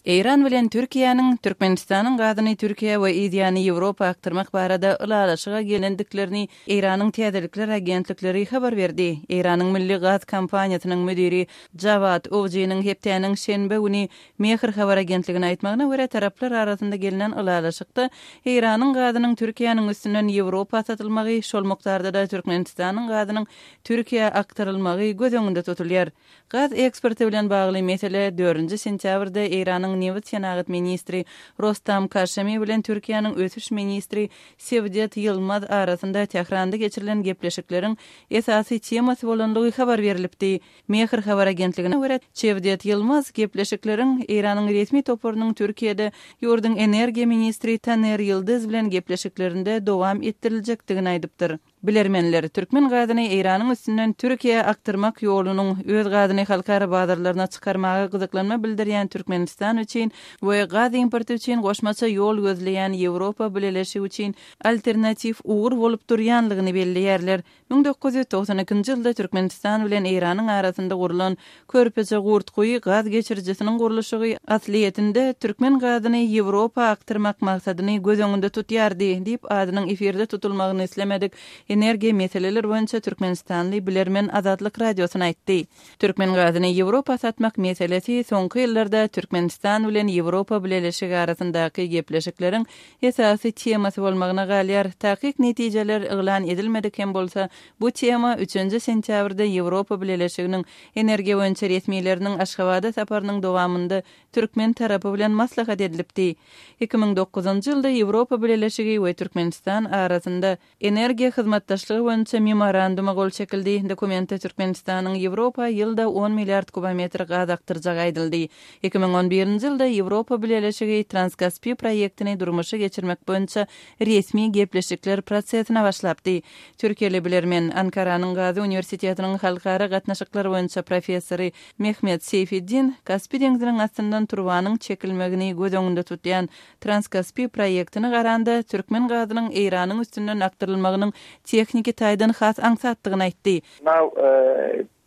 Eýran bilen Türkiýäniň Türkmenistanyň gazyny Türkiýä we yzýany Ýewropa akdyrmak barada ylalaşyga gelendiklerini Eýranyň täzelikler agentlikleri habar berdi. Eýranyň milli gaz kompaniýasynyň müdiri Jawad Owjynyň hepdäniň şenbe güni Mehr habar agentligine aýtmagyna görä, taraplar arasynda gelnen ylalaşykda Eýranyň gazynyň Türkiýäniň üstünden Ýewropa satylmagy, şol mukdarda-da Türkmenistanyň gazynyň Türkiýä akdyrylmagy göz öňünde tutulýar. Gaz eksporty bilen bagly mesele dördünji sentýabrda Eýranyň nebit-senagat ministri Rostam Kaşemi bilen Türkiýäniň ösüş ministri Sewdet Ýylmaz arasynda Tähranda geçirilen gepleşikleriň esasy temasy bolandygy habar berlipdi. Mehr habar agentligine görä, Çewdet Ýylmaz gepleşikleriň Eýranyň resmi toparynyň Türkiýede ýurduň energiýa ministri Taner Ýyldyz bilen gepleşiklerinde dowam etdiriljekdigini aýdypdyr. Bilermenler, türkmen gazyny Eýranyň üstünden Türkiýä akdyrmak ýolunyň, öz gazyny halkara bazarlaryna çykarmaga gyzyklanma bildirýän Türkmenistan üçin we gaz importy üçin goşmaça ýol gözleýän Ýewropa Bileleşigi üçin alternatiw ugur bolup durýanlygyny belleýärler. 1992-nji ýylda Türkmenistan bilen Eýranyň arasynda gurlan Körpeje Gurtguýy gaz geçirijisiniň gurluşygy aslyýetinde türkmen gazyny Ýewropa akdyrmak maksadyny göz öňünde tutýardy, diýip, adynyň efirde tutulmagyny islemedik energiýa meseleleri boýunça türkmenistanly bilermen Azatlyk Radiosyna aýtdy. Türkmen gazyny Ýewropa satmak meselesi soňky ýyllarda Türkmenistan bilen Ýewropa Bileleşigi arasyndaky gepleşikleriň esasy temasy bolmagyna galýar. Takyk netijeler yglan edilmedik hem bolsa, bu tema üçünji sentýabrda Ýewropa Bileleşiginiň energiýa boýunça resmileriniň Aşgabada saparynyň dowamynda türkmen tarapy bilen maslahat edilipdi. 2009-njy ýylda Ýewropa Bileleşigi we Türkmenistan arasynda Energiýa hyzmatdaşlygy boýunça memoranduma gol çekildi. Dokumentde Türkmenistanyň Ýewropa ýylda on milliard kubometr gaz akdyrjagy aýdyldy. 2011-nji ýylda Ýewropa Bileleşigi Transkaspi proýektini durmuşa geçirmek boýunça resmi gepleşikler prosesine başlapdy. Türkiýeli bilermen, Ankaranyň Gazi uniwersitetiniň halkara gatnaşyklar boýunça professory Mehmet Seýfeddin Kaspi deňziniň astyndan turbanyň çekilmegini göz öňünde tutýan Transkaspi proýektine garanda, türkmen gazynyň Eýranyň üstünden akdyrylmagynyň tehniki taýdan has aňsatdygyny aýtdy. Now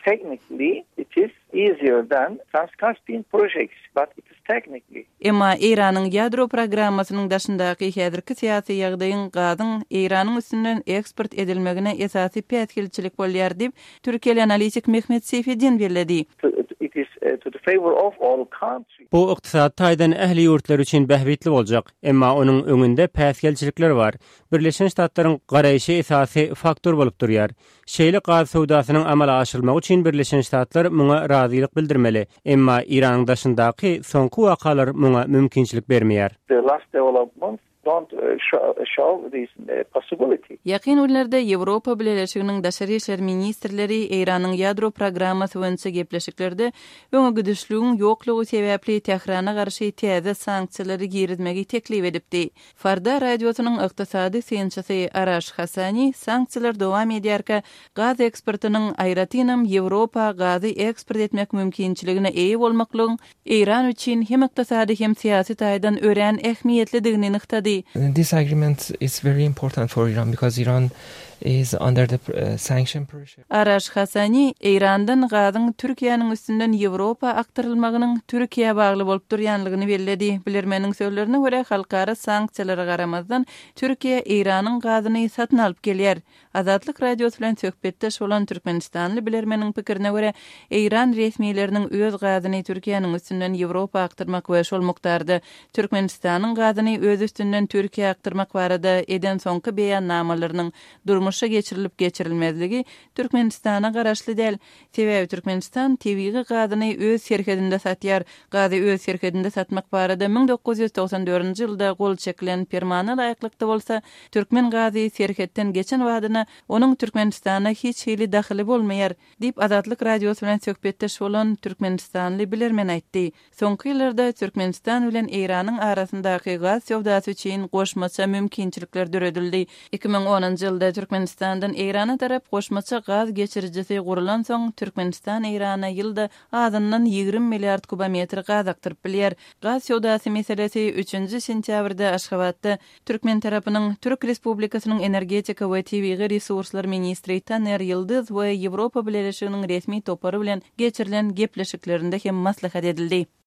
technically it is easier than Trans-Caspian projects, but it is technically. Emma Eýranyň ýadro programmasynyň daşyndaky häzirki syýasy ýagdaýyň gazyň Eýranyň üstünden eksport edilmegine esasy päsgelçilik bolýar diýip, türkiýeli analitik Mehmet Seýfeddin belledi. It is to the favor of all countries. Bu ykdysady taýdan ähli ýurtlar üçin bähbitli boljak. Emma onuň öňünde päsgelçilikler bar. Birleşen Ştatlaryň garaýşy esasy faktor bolup durýar. Şeýle gaz söwdasynyň amala aşyrylmagy üçin Birleşen Ştatlar muňa razylyk bildirmeli. Emma Eýranyň daşyndaky soňky wakalar muňa mümkinçilik bermeýär. The last developments don't show this possibility. Ýakyn günlerde Ýewropa Bileleşiginiň daşary işler ministrleri Eýranyň ýadro programmasy boýunça gepleşiklerde öňe gidişligiň ýoklugy sebäpli Tährana garşy täze sanksiýalary girizmegi teklip edipdi. Farda radiosynyň ykdysady synçysy Araş Hasani sanksiýalar dowam edýärkä gaz eksportynyň, aýratynam Ýewropa gazy eksport etmek mümkinçiligine eýe bolmaklygyň Eýran üçin hem ykdysady hem syýasy taýdan örän ähmiýetlidigini nygtady. This agreement is very important for Iran because Iran is under the sanction pressure. Araş Hasani Eýrandan gazyň Türkiýäniň üstünden Ýewropa akdyrylmagynyň Türkiýä bagly bolup durýanlygyny belledi. Bilermeniň sözlerine görä, halkara sanksiýalara garamazdan, Türkiýe Eýranyň gazyny satyn alyp gelýär. Azatlyk Radiosy bilen söhbetdeş bolan türkmenistanly bilermeniň pikirine görä, eýran resmileriniň öz gazyny Türkiýäniň üstünden Ýewropa akdyrmak we şol mukdarda Türkmenistanyň gazyny öz üstünden Türkiýä akdyrmak barada eden soňky beýannamalarynyň durmuşa geçirilip-geçirilmezligi Türkmenistana garaşly däl. Sebäbi Türkmenistan tebigy gazyny öz serhedinde satýar. Gazy öz serhedinde satmak barada 1994-nji ýylda gol çekilen permana laýyklykda bolsa, türkmen gazy serhetden geçen badyna onuň Türkmenistana hiç hili dahyly bolmaýar, diýip, Azatlyk Radiosy bilen söhbetdeş bolan türkmenistanly bilermen aýtdy. Soňky ýyllarda Türkmenistan bilen Eýranyň arasyndaky gaz söwdasy üçin goşmaça mümkinçilikler döredildi. 2010-njy ýylda Türkmenistandan Eýrana tarap goşmaça gaz geçirijisi gurulansoň, Türkmenistan Eýrana ýylda azyndan 20 milliard kubometr gaz akdyryp bilýär. Gaz söwdasy meselesi üçünji sentýabrda Aşgabatda türkmen tarapynyň Türk Respublikasynyň energetika we tebigy resurslar ministri Taner Ýyldyz we Ýewropa Bileleşiginiň resmi topary bilen geçirilen gepleşiklerinde hem maslahat edildi.